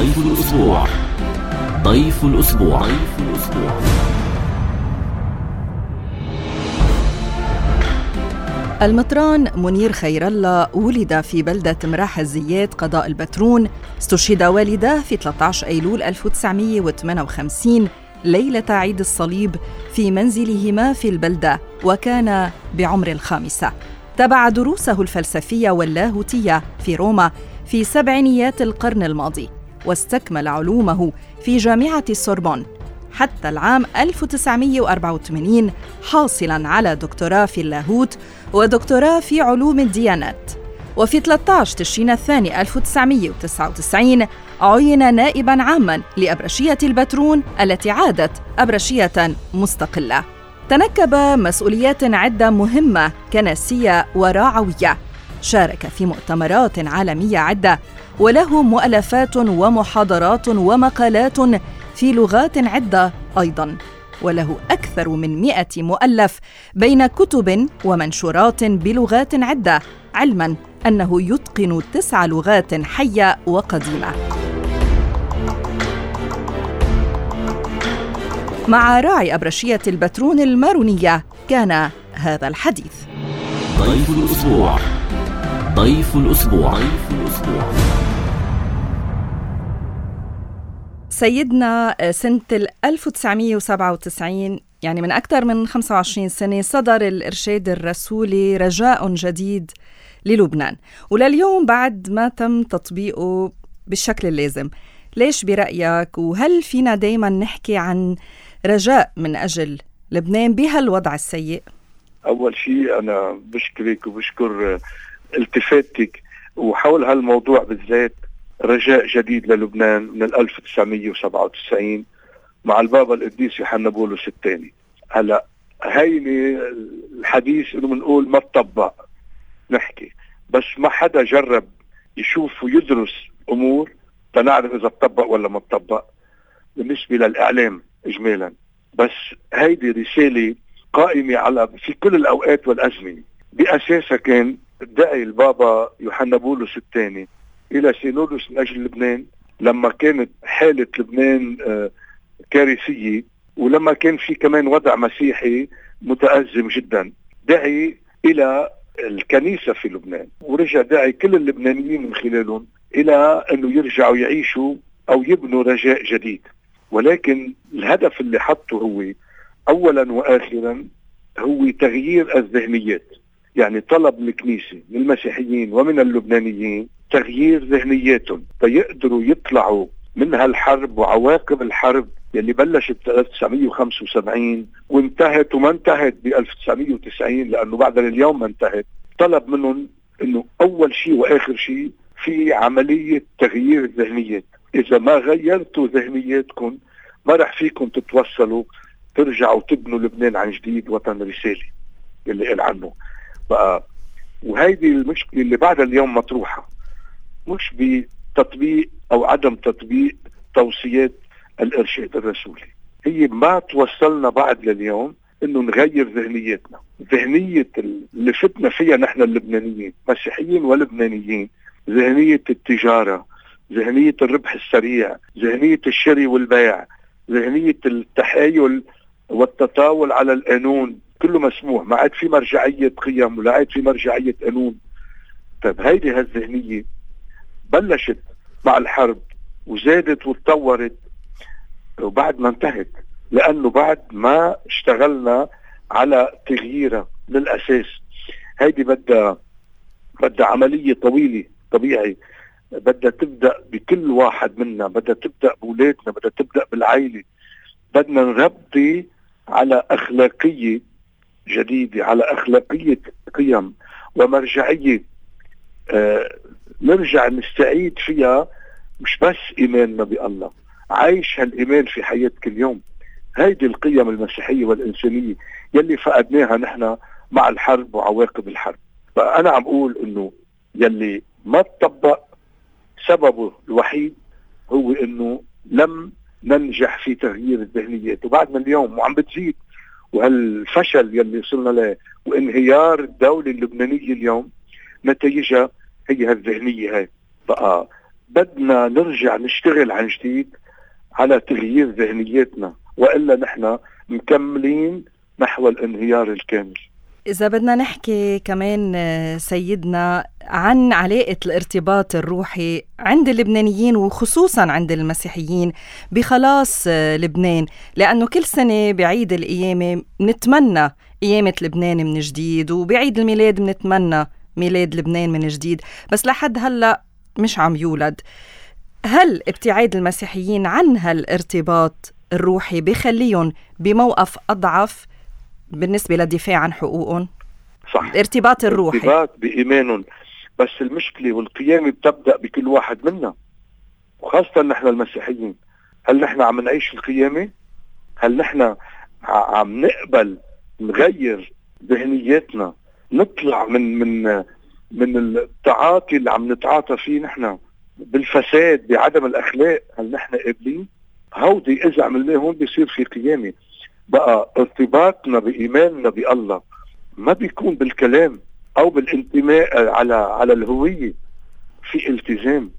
ضيف الأسبوع. ضيف الأسبوع. المطران منير خير الله ولد في بلدة مراح الزيات قضاء البترون. استشهد والداه في 13 أيلول 1958 ليلة عيد الصليب في منزلهما في البلدة، وكان بعمر 5. تابع دروسه الفلسفية واللاهوتية في روما في سبعينيات القرن الماضي، واستكمل علومه في جامعة السوربون حتى العام 1984 حاصلاً على دكتوراه في اللاهوت ودكتوراه في علوم الديانات. وفي 13 تشرين الثاني 1999 عين نائباً عاماً لأبرشية البترون التي عادت أبرشية مستقلة. تنكب مسؤوليات عدة مهمة كنسية وراعوية، شارك في مؤتمرات عالمية عدة، وله مؤلفات ومحاضرات ومقالات في لغات عدة أيضاً، وله أكثر من 100 مؤلف بين كتب ومنشورات بلغات عدة، علماً أنه يتقن 9 لغات حية وقديمة. مع راعي أبرشية البترون المارونية كان هذا الحديث. ضيف الأسبوع. ضيف الأسبوع. سيدنا، سنة 1997 يعني من أكثر من 25 سنة صدر الإرشاد الرسولي رجاء جديد للبنان، ولليوم بعد ما تم تطبيقه بالشكل اللازم. ليش برأيك؟ وهل فينا دايما نحكي عن رجاء من أجل لبنان بهالوضع السيء؟ أول شيء أنا بشكرك وبشكر التفاتك وحول هالموضوع بالذات. رجاء جديد للبنان من 1997 مع البابا القديس يوحنا بولس الثاني. هلا هيني الحديث انه بنقول ما تطبق نحكي، بس ما حدا جرب يشوف ويدرس امور تنعرف اذا تطبق ولا ما تطبق بالنسبه للاعلام اجمالا. بس هيدي رساله قائمه على في كل الاوقات والازمنه. باساسها كان دعي البابا يوحنا بولس الثاني الى سينودوس من اجل لبنان لما كانت حالة لبنان كارثية، ولما كان في كمان وضع مسيحي متأزم جدا. دعي الى الكنيسة في لبنان، ورجع دعي كل اللبنانيين من خلالهم الى انه يرجعوا يعيشوا او يبنوا رجاء جديد. ولكن الهدف اللي حطه هو اولا واخرا هو تغيير الذهنيات. يعني طلب الكنيسة من المسيحيين ومن اللبنانيين تغيير ذهنياتهم فيقدروا يطلعوا من هالحرب وعواقب الحرب يلي بلشت ب 1975 وانتهت وما انتهت ب 1990، لأنه بعد اليوم ما انتهت. طلب منهم انه اول شيء واخر شيء في عملية تغيير الذهنيات. اذا ما غيرتوا ذهنياتكم ما رح فيكم تتوصلوا ترجعوا تبنوا لبنان عن جديد وطن رسالي اللي قال عنه بقى. وهيدي المشكلة اللي بعد اليوم مطروحة، مش بتطبيق او عدم تطبيق توصيات الارشاد الرسولي. هي ما توصلنا بعد لليوم انه نغير ذهنيتنا. ذهنية اللي فتنا فيها نحن اللبنانيين مسيحيين ولبنانيين، ذهنية التجارة، ذهنية الربح السريع، ذهنية الشراء والبيع، ذهنية التحايل والتطاول على القانون. كله مسموح، ما عاد في مرجعية قيم ولا عاد في مرجعية قانون. طيب هيدي هالذهنية بلشت مع الحرب وزادت وتطورت وبعد ما انتهت، لأنه بعد ما اشتغلنا على تغييرها للأساس. هيدي بدها عملية طويلة طبيعي، بدها تبدأ بكل واحد منا، بدها تبدأ بولادنا، بدها تبدأ بالعائلة. بدنا نربي على أخلاقية جديدة، على أخلاقية قيم ومرجعية نرجع نستعيد فيها مش بس إيماننا بالله، عايش هالإيمان في حياة كل يوم. هيدي القيم المسيحية والإنسانية يلي فقدناها نحن مع الحرب وعواقب الحرب. فأنا عم أقول إنه يلي ما تطبق سببه الوحيد هو إنه لم ننجح في تغيير الذهنيات، وبعد من اليوم وعم بتزيد. وهالفشل يلي وصلنا له وانهيار الدولة اللبنانية اليوم نتيجة هي هالذهنية. هاي بقى بدنا نرجع نشتغل عن جديد على تغيير ذهنياتنا، وإلا نحن مكملين نحو الانهيار الكامل. إذا بدنا نحكي كمان سيدنا عن علاقة الارتباط الروحي عند اللبنانيين وخصوصاً عند المسيحيين بخلاص لبنان، لأنه كل سنة بعيد القيامة نتمنى قيامة لبنان من جديد، وبعيد الميلاد نتمنى ميلاد لبنان من جديد، بس لحد هلأ مش عم يولد. هل ابتعاد المسيحيين عن هالارتباط الروحي بخليهم بموقف أضعف بالنسبة للدفاع عن حقوقهم؟ صح، الارتباط الروحي، الارتباط بإيمانهم. بس المشكلة والقيامة بتبدأ بكل واحد منا، وخاصة نحن المسيحيين. هل نحن عم نعيش القيامة؟ هل نحن عم نقبل نغير ذهنياتنا، نطلع من التعاطي اللي عم نتعاطى فيه نحن بالفساد بعدم الأخلاق؟ هل نحن قابلين؟ هودي إذا عملناهم بيصير في قيامة. بقى ارتباطنا بإيماننا بالله ما بيكون بالكلام أو بالانتماء على الهوية، في التزام.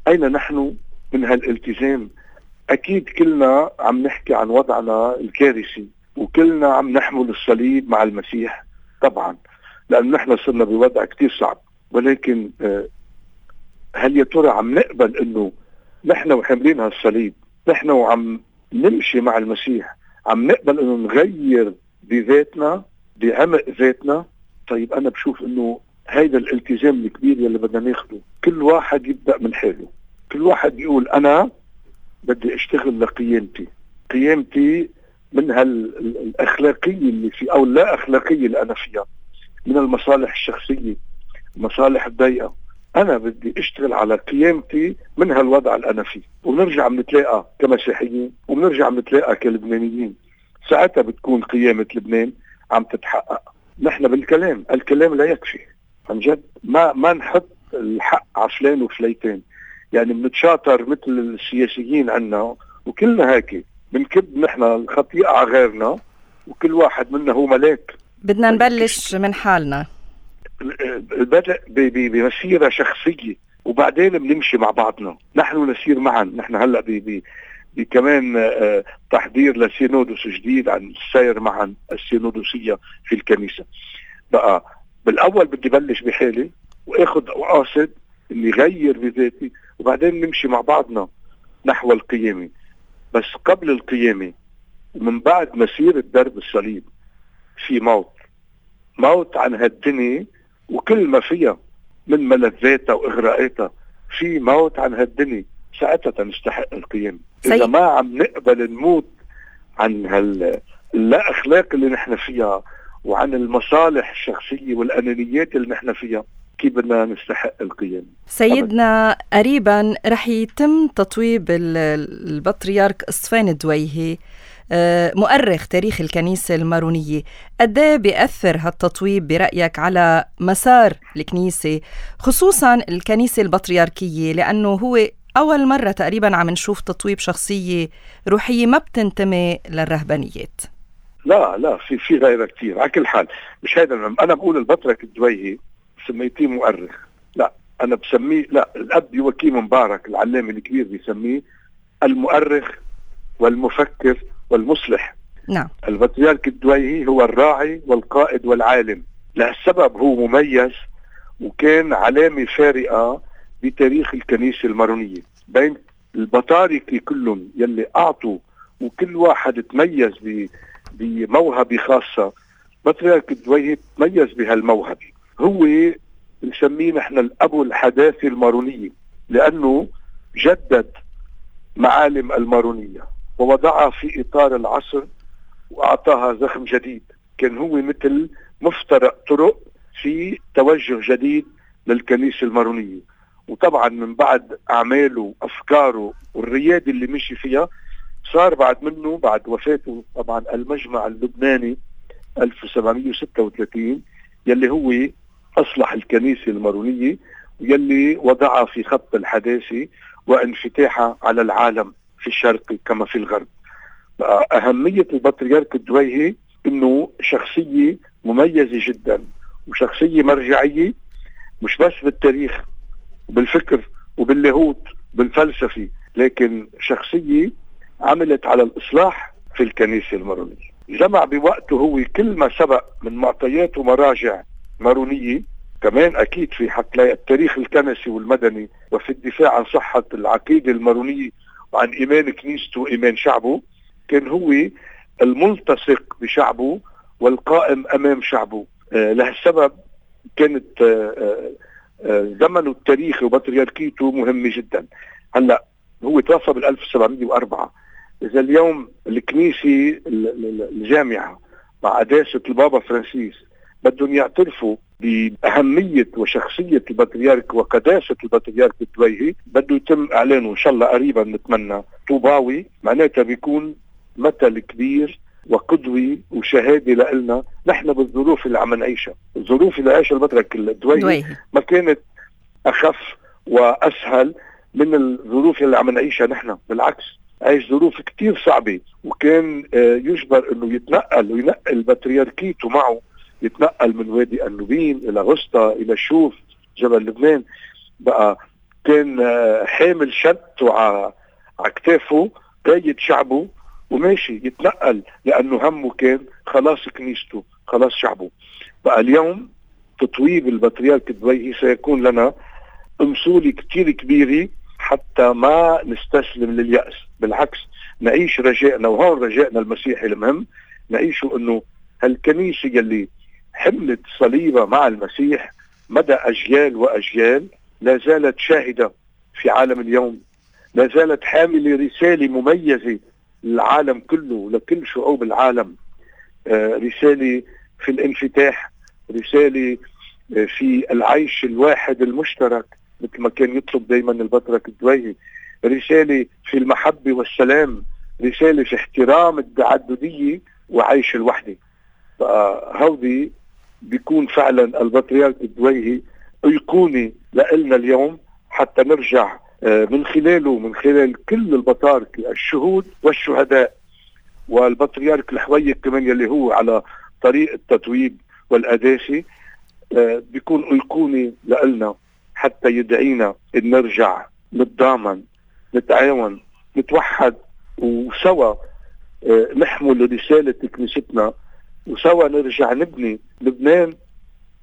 أين نحن من هالالتزام؟ أكيد كلنا عم نحكي عن وضعنا الكارثي، وكلنا عم نحمل الصليب مع المسيح طبعا، لأن نحن صرنا بوضع كتير صعب. ولكن هل يا ترى عم نقبل إنه نحن وحاملين هالصليب، نحن وعم نمشي مع المسيح، عم نقبل إنه نغير بذاتنا بعمق ذاتنا؟ طيب أنا بشوف إنه هيدا الالتزام الكبير يلي بدنا ناخده. كل واحد يبدأ من حاله، كل واحد يقول أنا بدي أشتغل لقيامتي، قيامتي من هالأخلاقية اللي في أو لا أخلاقية اللي أنا فيها، من المصالح الشخصية، المصالح الضيقة. أنا بدي أشتغل على قيامتي من هالوضع اللي أنا فيه، ونرجع نتلاقى كمسيحيين ونرجع نتلاقى كلبنانيين. ساعتها بتكون قيامة لبنان عم تتحقق. نحن بالكلام، الكلام لا يكفي عن جد. ما نحط الحق على فلان وفليتين، يعني بنتشاطر مثل السياسيين عنا وكلنا هيك بنكب نحن الخطيئة على غيرنا، وكل واحد منا هو ملاك. بدنا نبلش من حالنا، بدأ بمسيرة شخصية وبعدين بنمشي مع بعضنا، نحن نسير معا. نحن هلأ كمان تحضير لسينودوس جديد عن السير معا، السينودوسية في الكنيسة. بقى بالأول بدي بلش بحالي وأخذ وقاصد إني غير بذاتي، وبعدين نمشي مع بعضنا نحو القيامة. بس قبل القيامة ومن بعد مسيرة درب الصليب في موت عن هالدنيا وكل ما فيها من ملذاتها وإغراءاتها، في موت عن هالدنيا. ساعتها نستحق القيامة. إذا ما عم نقبل نموت عن لا أخلاق اللي نحن فيها وعن المصالح الشخصية والأنانيات اللي نحن فيها، كيف بدنا نستحق القيامة؟ سيدنا قريبا رح يتم تطويب البطريرك إصفان الدويهي، مؤرخ تاريخ الكنيسة المارونية. قد ايه بيأثر هالتطويب برأيك على مسار الكنيسة، خصوصا الكنيسة البطريركية، لأنه هو أول مرة تقريبا عم نشوف تطويب شخصية روحية ما بتنتمي للرهبانيات؟ لا في غيرها كتير. على كل حال مش هيدا أنا بقول البطرك الدويهي سميتيه مؤرخ، لا أنا بسميه، لا الأب يوكيم مبارك العلامة الكبير بيسميه المؤرخ والمفكر والمصلح. نعم. البطريرك الدويهي هو الراعي والقائد والعالم. لهالسبب هو مميز وكان علامة فارقة بتاريخ الكنيسة المارونية. بين البطاركة كلهم يلي أعطوا وكل واحد تميز بموهبة خاصة، بطريرك الدويهي تميز بهالموهبة. هو نسميه نحن الأبو الحداثة المارونية، لأنه جدد معالم المارونية ووضعها في إطار العصر وأعطاها زخم جديد. كان هو مثل مفترق طرق في توجه جديد للكنيسة المارونية. وطبعا من بعد أعماله وأفكاره والريادة اللي مشي فيها، صار بعد منه بعد وفاته طبعا المجمع اللبناني 1736 يلي هو أصلح الكنيسة المارونية ويلي وضعها في خط الحداثة وانفتاحها على العالم في الشرق كما في الغرب. أهمية البطريرك الدويهي إنه شخصية مميزة جدا وشخصية مرجعية، مش بس بالتاريخ وبالفكر وباللاهوت بالفلسفي، لكن شخصية عملت على الإصلاح في الكنيسة المارونية. جمع بوقته هو كل ما سبق من معطيات ومراجع مارونية، كمان أكيد في حتلاقي التاريخ الكنسي والمدني وفي الدفاع عن صحة العقيدة المارونية وعن إيمان كنيسته وإيمان شعبه. كان هو الملتصق بشعبه والقائم أمام شعبه. لهالسبب كانت زمنه التاريخي وبطريركيته مهمة جدا. هلأ هو توفى بال1704. إذا اليوم الكنيسة الجامعة مع قداسة البابا فرانسيس بدهم يعترفوا بأهمية وشخصية البطريرك وقداسة البطريرك الدويهي، بده يتم إعلانه إن شاء الله قريبا نتمنى طوباوي، معناتها بيكون مثل كبير وقدوي وشهادة لنا نحن بالظروف اللي عم نعيشها. الظروف اللي عايشها البطريرك الدويهي ما كانت أخف وأسهل من الظروف اللي عم نعيشها نحن، بالعكس عايش ظروف كتير صعبة، وكان يجبر انه يتنقل وينقل بطريركيته معه، يتنقل من وادي النوبين الى غسطة الى الشوف جبل لبنان. بقى كان حامل شدته على كتافه قايد شعبه وماشي يتنقل، لانه همه كان خلاص كنيسته خلاص شعبه. بقى اليوم تطويب البطريرك الدويهي سيكون لنا مسؤولية كتير كبيرة حتى ما نستسلم لليأس، بالعكس نعيش رجائنا، وهون رجائنا المسيحي المهم نعيشه انه هالكنيسة يلي حملت صليبة مع المسيح مدى أجيال وأجيال لا زالت شاهدة في عالم اليوم، لا زالت حاملة رسالة مميزة للعالم كله لكل شعوب العالم. رسالة في الانفتاح، رسالة في العيش الواحد المشترك مثل ما كان يطلب دايما البطرك الدويهي، رسالة في المحبة والسلام، رسالة في احترام التعددية وعيش الوحدة. فهودي بيكون فعلا البطريرك الدويهي أيقوني لنا اليوم، حتى نرجع من خلاله من خلال كل البطاركة الشهود والشهداء والبطريرك الحويك كمان يلي هو على طريق التتويب والقداسة، بيكون أيقوني لنا حتى يدعينا إن نرجع نتضامن نتعاون نتوحد وسوا نحمل رسالة كنيستنا، وسوا نرجع نبني لبنان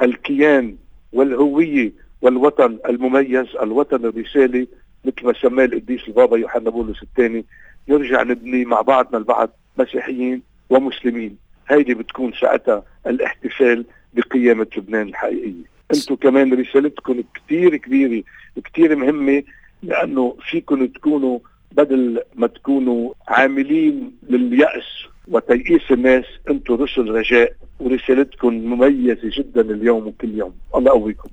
الكيان والهوية والوطن المميز، الوطن الرسالي مثل ما سماه القديس البابا يوحنا بولس الثاني. نرجع نبني مع بعضنا البعض مسيحيين ومسلمين. هيدي بتكون ساعتها الاحتفال بقيامة لبنان الحقيقية. انتم كمان رسالتكم كتير كبيرة كتير مهمة، لأنه فيكم تكونوا بدل ما تكونوا عاملين لليأس وتيئيس الناس، انتم رسل رجاء، ورسالتكم مميزة جدا اليوم وكل يوم. الله يقويكم.